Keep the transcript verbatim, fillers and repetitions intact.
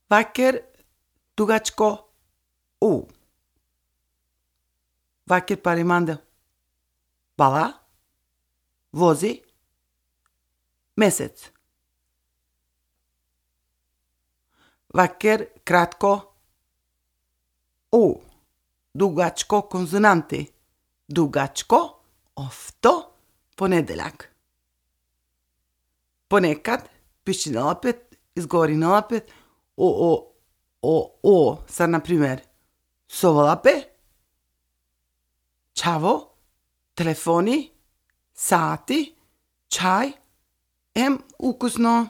Vaker, dugačko, u. Vaker parimanda. Bala, vozi, mesec. Vaker, kratko, u. Dugačko, konzonanti. Dugačko, ofto, ponedeljak. Ponekad, piši napet, izgovori napet, o, o, o, o, sad na primjer, sovolape, čavo, telefoni, sati, čaj, em, ukusno.